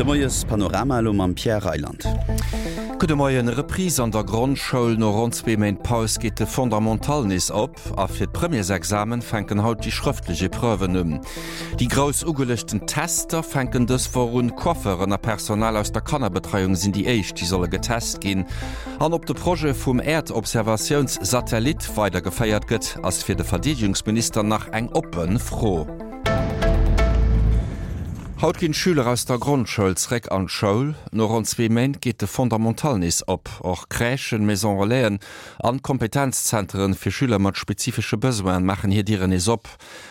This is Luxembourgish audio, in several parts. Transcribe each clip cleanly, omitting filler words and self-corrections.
Moies-Panorama elo mam Pierre Reyland. Gudde Moien. Reprise an der Grondschoul, No ronn zwee Méint Paus geet de Fondamental nees op a fir d'Premièresexamen fänken haut déi schrëftlech Epreuven un. Déi grouss ugeluechten Tester fänken dës Woch un. Coiffeuren a Personal aus der Kannerbetreiung sinn déi éischt, déi solle getest ginn. An ob de Projet vum Äerdobservatiounssatellit weidergeféiert gëtt, ass fir de Verdeedegungsminister nach eng oppe Fro. Haut ginn d'Schüler aus der Grondschoul zréck an d'Schoul. No ronn zwee Méint geet de Fondamental nees op. Och Crèchen, Maison Relaisen an Kompetenzzenteren fir Schüler mat spezifesche Besoinen maachen hir Dieren nees op.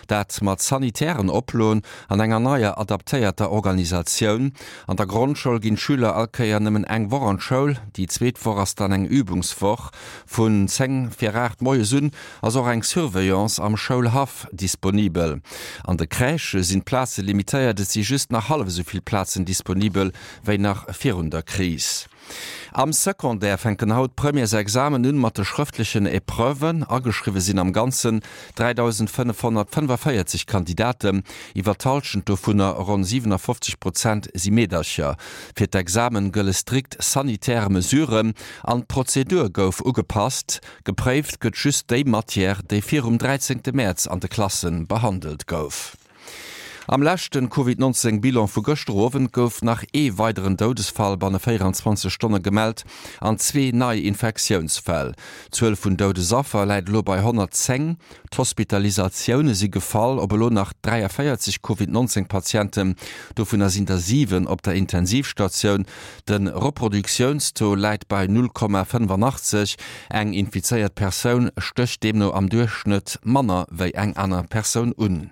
Dat mat sanitären Oploen an enger neier adaptéierter Organisatioun. An der Grondschoul ginn d'Schüler all Kéier nëmmen eng Woch an d'Schoul. Déi zweet Woch ass dann eng Übungswoch. Vun 10 vir 8 moies un ass och eng Surveillance am Schoulhaff disponibel. An de Crèchë sinn d'Plaze limitéiert, et si just nach hallef esou vill Plazen disponibel wéi nach virun der Kris. Am Secondaire fänken haut d'Premièresexamen un mat de schrëftlechen Epreuven. Ageschriwwe sinn am Ganzen 3.545 Kandidaten, iwwer d'Hallschent dovunner, ronn 57 Prozent, si Meedercher. Fir d'Examen gëlle strikt sanitär Mesuren an d'Prozedur gouf ugepasst. Gepréift gëtt just déi Matière, déi virum 13 Mäerz an de Klasse behandelt gouf. Am leschten Covid 19 Bilan vu gëschter Owend gouf nach ee weideren Doudesfall banne 24 Stonne gemellt an zwee nei Infektiounsfäll. D'Zuel vun Doudesaffer läit elo bei 110. D'Hospitalisatioune si gefall op elo nach 43 Covid 19 Patienten, dovunner sinn der 7 op der Intensivstatioun. De Reproduktiounstaux läit bei 0,85. Eng infizéiert Persoun stécht deemno am Duerchschnëtt manner wéi eng aner Persoun un.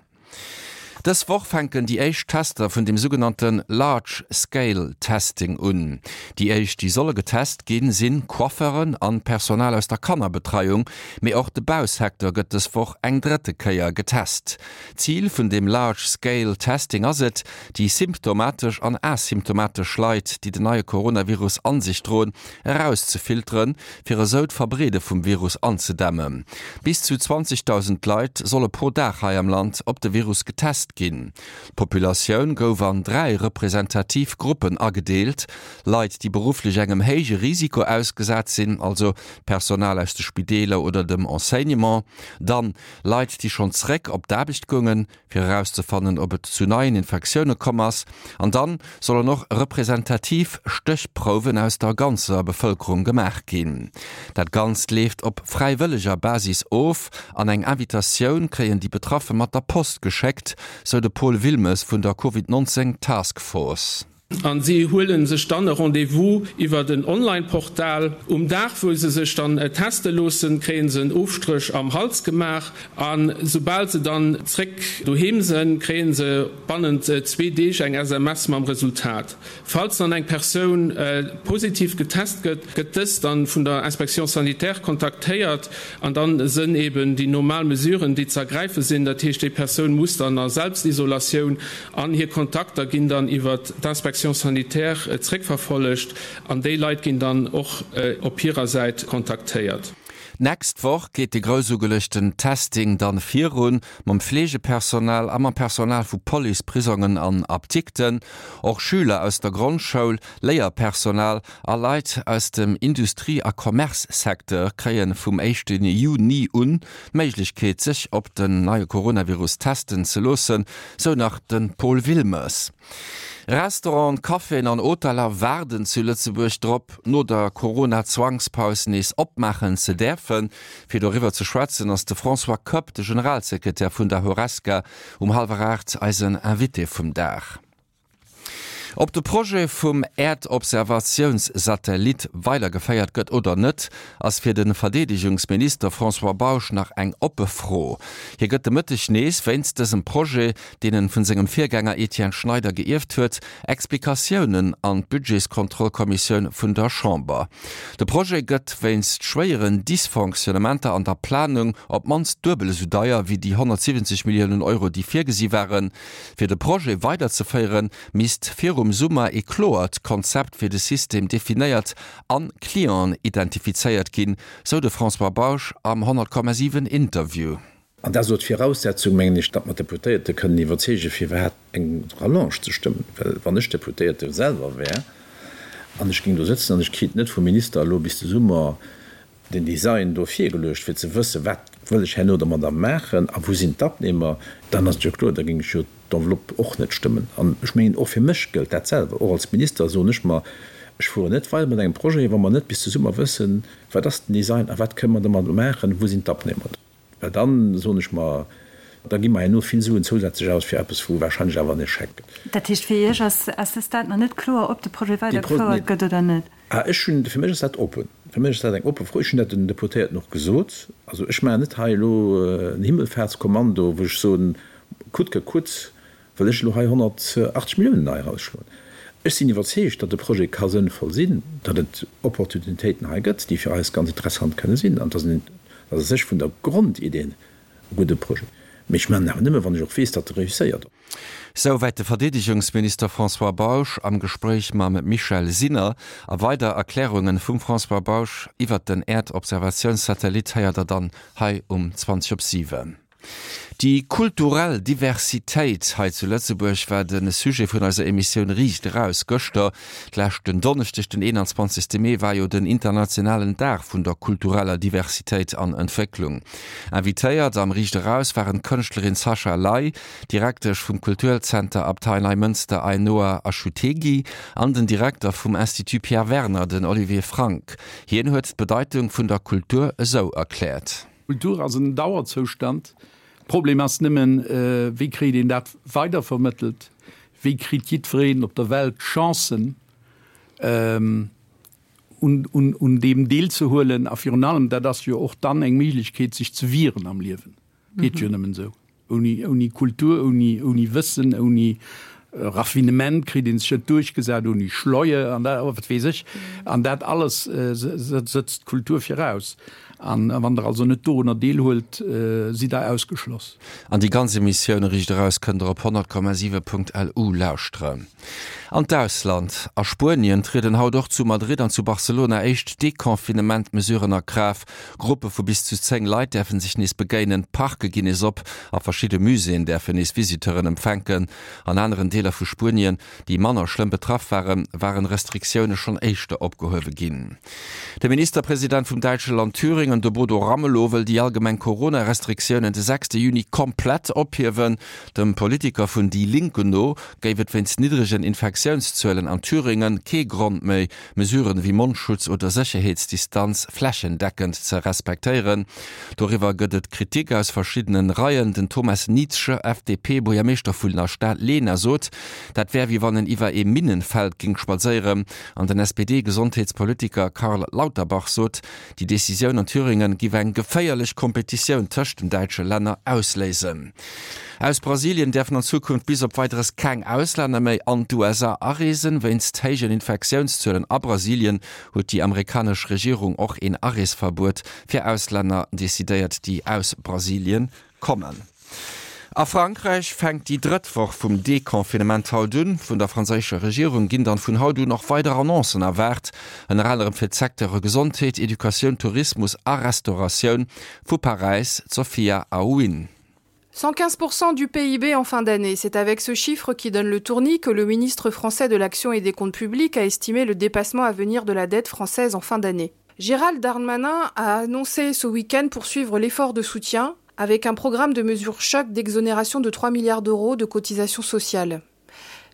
Dës Woch fänken déi éischt Tester vun dem sougenannte Large Scale Testing un. Déi éischt, déi solle getest ginn, sinn Coiffeuren an Personal aus der Kannerbetreiung. Mee och de Bausecteur gëtt dës Woch eng drëtte Kéier getest. Zil vun dem Large Scale Testing ass et, déi symptomatesch an asymptomatesch Leit, déi den neie Coronavirus an sech droen, erauszefilteren, fir esou d'Verbreede vum Virus anzedämmen. Bis zu 20.000 Leit solle pro Dag hei am Land op de Virus getest ginn. D'Populatioun gouf an 3 representativ Gruppen agedeelt, Leit, déi berufflech engem héije Risiko ausgesat sinn, also d'Personal aus de Spideeler oder dem Enseignement, dann Leit, déi schonn zeréck op d'Aarbecht goungen, fir erauszefannen, ob et zu neien Infektioune komm ass. An dann sollen och representativ Stéchprouwen aus der ganzer Bevëlkerung gemaach ginn. Dat Ganzt leeft op fräiwëlleger Basis of an eng Invitatioun kréien déi Betraffe mat der Post geschéckt, sou de Paul Wilmes vun der Covid 19 Task Force. An si huele sech dann e Rendez-vous iwwert en Online-Portal. Um Dag, wou se sech dann teste loossen, kréie se en Ofstréch am Hals gemaach. A soubal se dann zréck doheem sënn, kréie se bannent zwee Deeg eng SMS mam Resultat. Falls dann eng Persoun positiv getest gëtt, gëtt dës dann vun der Inspection sanitaire kontaktéiert an dann sënn eben déi normal Mesuren, déi ze ergräife sinn. Dat heescht, déi Persoun muss dann a Selbstisolatioun An hir Kontakter ginn dann iwwert d'Inspection sanitaire zréckverfollegt an déi Leit ginn dann och op hirer Säit kontaktéiert. D'nächst Woch geet de grouss ugeluechten Testing dann virun, mam Fleegepersonal a mam Personal vu Police, Prisongen an Apdikten. Och Schüler aus der Grondschoul, Léierpersonal a Leit aus dem Industrie a Commerce-Secteur kréie vum éischte Juni un d'Méiglechkeet sech op den neie Coronavirus testen ze loossen, sou nach de Paul Wilmes. Restauranten, Caféen an Hoteller waarden zu Lëtzebuerg drop, no der Corona-Zwangspaus nees opmaachen ze däerfen. Fir doriwwer ze schwätzen ass de François Koepp, de Generalsekretär vun der Horesca, um hallwer 8 eisen Invité vum Dag. Ob de Projet vum Äerdobservatiounssatellit weidergeféiert gëtt oder net, ass fir de Verdeedegungsminister François Bausch nach eng oppe Fro. Hie gëtt de Mëtteg nees wéinst dësem Projet, deen en vun sengem Virgänger Etienne Schneider geierft huet, Explikatiounen an d'Budgetskontrollkommissioun vun der Chamber. De Projet gëtt wéinst schwéieren Dysfonctionnementer an der Planung op d'mannst duebel esou deier wéi déi 170 Milliounen Euro, déi virgesi waren. Fir de Projet weiderzeféieren, misst virum Summer ee kloert Konzept fir de System definéiert an Clienten identifizéiert ginn, sou de François Bausch am 100,7 Interview. An dat ass elo d'Viraussetzung, mengen ech, datt mer d'Deputéierte kënnen iwwerzeegen, fir iwwerhaapt eng Rallonge ze stëmmen. Well wann ech Deputéierte selwer wär an ech géing do sëtzen an ech kritt net vum Minister elo bis de Summer den Design do virgeluecht, fir ze wëssen, wat wëll ech herno domadder maachen a wou sinn d'Abnehmer, dann ass et jo kloer, da géing ech jo d'Enveloppe och net stëmmen. An ech mengen, och fir mech gëllt dat selwer. Och als Minister soen ech mer, ech fueren net weider mat engem Projet, wa mer net bis de Summer wëssen, wat ass den Design a wat kënnen mer domadder maachen, wou sinn d'Abnehmer. Well dann, soen ech mer, da gi mer herno vill Suen zousätzlech aus fir eppes, wou wahrscheinlech awer en Echec gëtt. Dat heescht, fir Iech ass à ce stade nach net kloer, ob de Projet weidergefouert gëtt oder net? Ah, ech hunn, fir mech ass dat oppen. Fir mech ass dat eng oppe Fro. Ech hunn dat den Deputéierten och gesot. Also ech maachen net hei elo en Himmelfahrtskommando, wou ech soen, coûte que coûte wëll ech elo hei 180 Milliounen nei erausschloen. Ech sinn iwwerzeegt, datt de Projet ka sënnvoll sinn, datt et Opportunitéiten hei gëtt, déi fir eis ganz interessant kënne sinn, an datt en a sech vun der Grondidee e gudde Projet. Mee ech maachen en awer nëmme, wann ech och weess, datt e réusséiert. Souwäit de Verdeedegungsminister François Bausch am Gespréich mam Michèle Sinner. A weider Erklärunge vum François Bausch iwwert den Äerdobservatiounssatellit héiert der dann hei um 20 op 7. Déi kulturell Diversitéit hei zu Lëtzebuerg war de Sujet vun eiser Emissioun Riicht Eraus gëschter. Leschten Donneschdeg, den 21. Mee, war jo den internationalen Dag vun der kultureller Diversitéit an Entwécklung. Invitéiert am Riicht Eraus waren d'Kënschtlerin Sascha Ley, Direktesch vum Kulturzenter Abtei Neimënster Ainhoa Achutegui an den Direkter vum Institut Pierre Werner, den Olivier Frank. Hien huet d'Bedeitung vun der Kultur esou erkläert. Kultur ass en Dauerzoustand. Problem ass nëmmen, wéi kritt een dat weidervermëttelt? Wéi kritt jiddwereen op der Welt d'Chancen, un deem deelzehuelen? A virun allem, dat ass jo och dann eng Méiglechkeet, sech ze wieren am Liewen. Geet jo nëmmen esou. Ouni, ouni Kultur, ouni, ouni Wëssen, ouni Raffinement kritt een sech net duerchgesat, ouni Schleue an dat, wat weess ech. An dat alles sëtzt d'Kultur viraus. An wann Der also net dorunner deelhuelt, sidd Der ausgeschloss. An déi ganz Emissioun Riicht Eraus kënnt Der op 100,7.lu lauschteren. An d'Ausland, A Spuenien trieden haut och zu Madrid an zu Barcelona éischt Deconfinement-Mesuren a Kraaft. Gruppe vu bis zu 10 Leit däerfe sech nees begéinen, d'Parke ginn nees op a verschidde Muséeën däerfen nees Visiteuren empfänken. An aneren Deeler vu Spuenien, déi manner schlëmm betraff waren, waren Restriktioune schonn éischter opgehuewe ginn. De Ministerpresident vum däitsche Land Thüringen, de Bodo Ramelow, wëll déi allgemeng Corona-Restriktiounen de sechste Juni komplett ophiewen. Dem Politiker vun Die Linke no géif et wéinst niddregen Infektiounszuelen an Thüringen kee Grond méi, Mesuren wéi Mondschutz oder Sécherheetsdistanz flächendeckend ze respektéieren. Doriwwer gëtt et Kritik aus verschiddenen Reien. Den Thomas Nietzsche, FDP-Buergermeeschter vun der Stad Lena, sot, dat wär wéi wann en iwwer ee Minnenfeld géing spadséieren. An den SPD-Gesondheetspolitiker Karl Lauterbach sot, déi Decisioun an Thüringen giff eng geféierlech Kompetitioun tëscht den däitsche Länner ausléisen. Aus Brasilien däerfen an Zukunft bis op Weideres keng Auslänner méi an d'USA areesen. Wéinst héijen Infektiounszuelen a Brasilien huet déi amerikanesch Regierung och een Areesverbuet fir Auslänner decidéiert, déi aus Brasilien kommen. A Frankräich fänkt déi drëtt Woch vum Deconfinement haut un. Vun der franséischer Regierung ginn dann vun haut un och weider Annoncen erwaart, ënner anerem fir d'Secteure Gesondheet, Educatioun, Tourismus a Restauratioun. Vu Paräis d'Sophia Aouin. 115% du PIB en fin d'année. C'est avec ce chiffre qui donne le tournis que le ministre français de l'Action et des comptes publics a estimé le dépassement à venir de la dette française en fin d'année. Gérald Darmanin a annoncé ce week-end poursuivre l'effort de soutien avec un programme de mesures choc d'exonération de 3 milliards d'euros de cotisations sociales.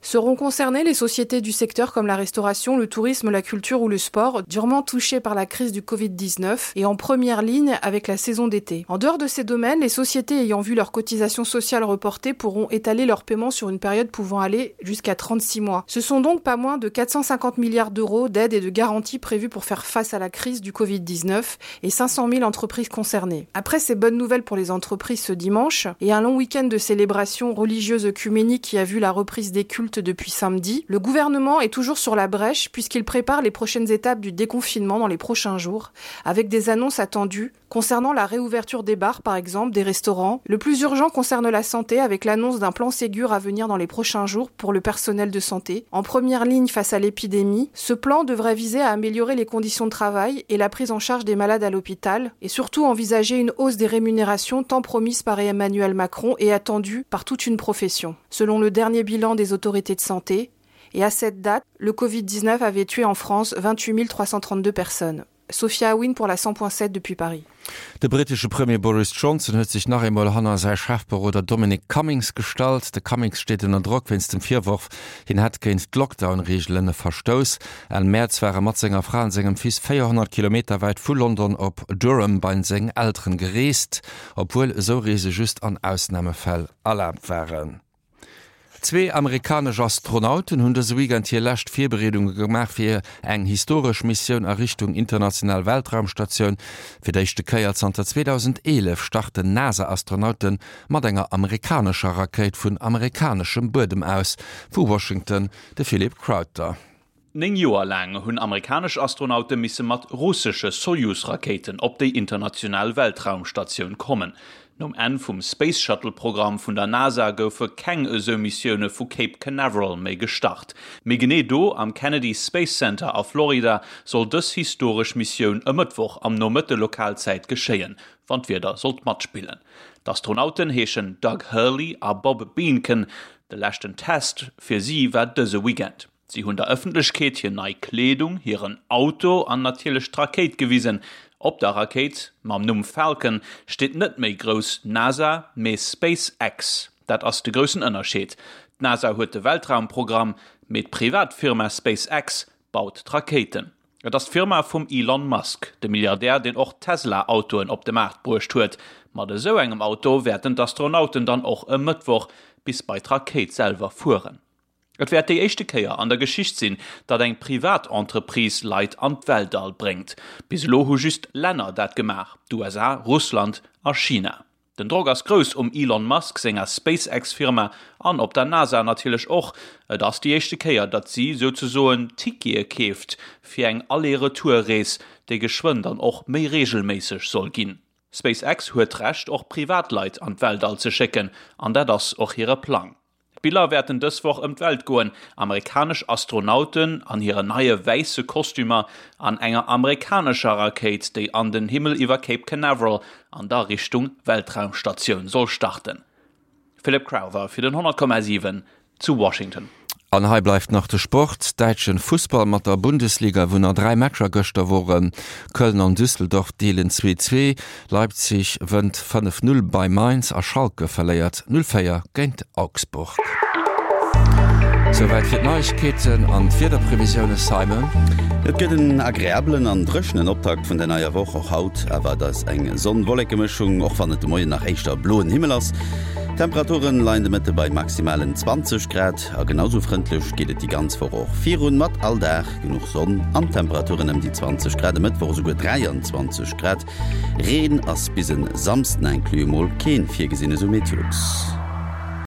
Seront concernées les sociétés du secteur comme la restauration, le tourisme, la culture ou le sport, durement touchées par la crise du Covid-19 et en première ligne avec la saison d'été. En dehors de ces domaines, les sociétés ayant vu leurs cotisations sociales reportées pourront étaler leurs paiements sur une période pouvant aller jusqu'à 36 mois. Ce sont donc pas moins de 450 milliards d'euros d'aides et de garanties prévues pour faire face à la crise du Covid-19 et 500 000 entreprises concernées. Après ces bonnes nouvelles pour les entreprises ce dimanche et un long week-end de célébrations religieuses œcuméniques qui a vu la reprise des cultes. adultes depuis samedi, le gouvernement est toujours sur la brèche puisqu'il prépare les prochaines étapes du déconfinement dans les prochains jours, avec des annonces attendues concernant la réouverture des bars par exemple, des restaurants. Le plus urgent concerne la santé avec l'annonce d'un plan Ségur à venir dans les prochains jours pour le personnel de santé. En première ligne face à l'épidémie, ce plan devrait viser à améliorer les conditions de travail et la prise en charge des malades à l'hôpital et surtout envisager une hausse des rémunérations tant promise par Emmanuel Macron et attendue par toute une profession. Selon le dernier bilan des autorités de santé, et à cette date, le COVID-19 avait tué en France 28 332 personnes. Sophia Wynn pour la 100.7 depuis Paris. De brittesche Premier Boris Johnson huet sech nach eemol hanner säi Chefberoder Dominic Cummings gestallt. De Cummings steet ënner Drock wéinst dem Virworf, hien hätt géint d'Lockdown-Reegelen verstouss. Enn Mäerz war e mat senger Fra an sengem Fils 400 Kilometer wäit vu London op Durham bei seng Elteren gereest, obwuel esou Reese just an Ausnamefäll erlaabt waren. Zwee amerikanesch Astronauten hunn dëse Weekend hir lescht Virbereedunge gemaach fir eng historesch Missioun a Richtung international Weltraumstatioun. Fir d'éischte Kéier zanter 2011 starten NASA-Astronaute mat enger amerikanescher Rakéit vun amerikaneschem Buedem aus. Vu Washington de Philippe Crowther. 9 Joer laang hunn amerikanesch Astronaute misse mat russesche Sojus-Rakéiten op déi international Weltraumstatioun kommen. Nom Enn vum Space-Shuttle-Programm vun der NASA goufe keng esou Missioune vu Cape Canaveral méi gestart. Mee genee do, am Kennedy Space Center a Florida, soll dës historesch Missioun e Mëttwoch am Nomëtte Lokalzäit geschéien, wann d'Wieder sollt matspillen. D'Astronauten heeschen Doug Hurley a Bob Behnken. De leschten Test fir si war dëse Weekend. Si hunn der Ëffentlechkeet hir nei Kleedung, hiren Auto an natierlech d'Rakéit gewisen. Op der Rakéit mam Numm Falcon steet net méi grouss NASA, mee SpaceX. Dat ass de groussen Ënnerscheed. D'NASA huet de Weltraumprogramm, mee d'Privatfirma SpaceX baut d'Rakéiten. Et ass d'Firma vum Elon Musk, de Milliardär, deen och Tesla-Autoen op de Maart bruecht huet. Mat esou engem Auto wäerten d'Astronauten dann och e Mëttwoch bis bei d'Rakéit selwer fueren. Et wäert déi éischte Kéier an der Geschicht sinn, datt eng privat Entreprise Leit an d'Weltall bréngt. Bis elo hu just Länner dat gemaach, d'USA, Russland a China. Den Drock ass grouss um Elon Musk senger SpaceX-Firma an op der NASA natierlech och. Et ass déi éischte Kéier, datt si souzesoen Tickete keeft fir eng Aller-Retour-Rees, déi geschwënn dann och méi reegelméisseg soll ginn. SpaceX huet d'Recht och Privatleit an d'Weltall ze schécken an dat ass och hire Plang. D'Biller wäerten dës Woch ëm d'Welt goen, Amerikanesch Astronauten an hiren neie wäisse Kostümer an enger amerikanescher Rakéit, déi an den Himmel iwwer Cape Canaveral an da Richtung Weltraumstatioun soll starten. Philip Crowther fir den 100,7 zu Washington. An hei bleift nach de Sport, Däitschen Fussball mat der Bundesliga, wou nach 3 Matcher gëschter woren. Köln an Düsseldorf deelen 2, 2, Leipzig wënnt 5, 0 bei Mainz a Schalke verléiert 0, 4 géint Augsburg. Souwäit fir d'Neiegkeeten an d'Wiederprevisioune, Simon. Et gëtt en agreabelen an dréchenen Optakt vun der neier Woch. Och haut erwaart eis eng Sonn-Wolleke-Mëschung, och wann et de Moien nach éischter bloen Himmel ass. D'Temperaturen leien de Mëtte bei maximalen 20 Grad a genau sou frëndlech geet et déi ganz Woch och virun, mat all Dag genuch Sonn an Temperaturen ëm déi 20 Grad, e Mëttwoch esouguer 23 Grad. Reen ass bis en Samsden inclus emol keen virgesinn, esou Meteolux.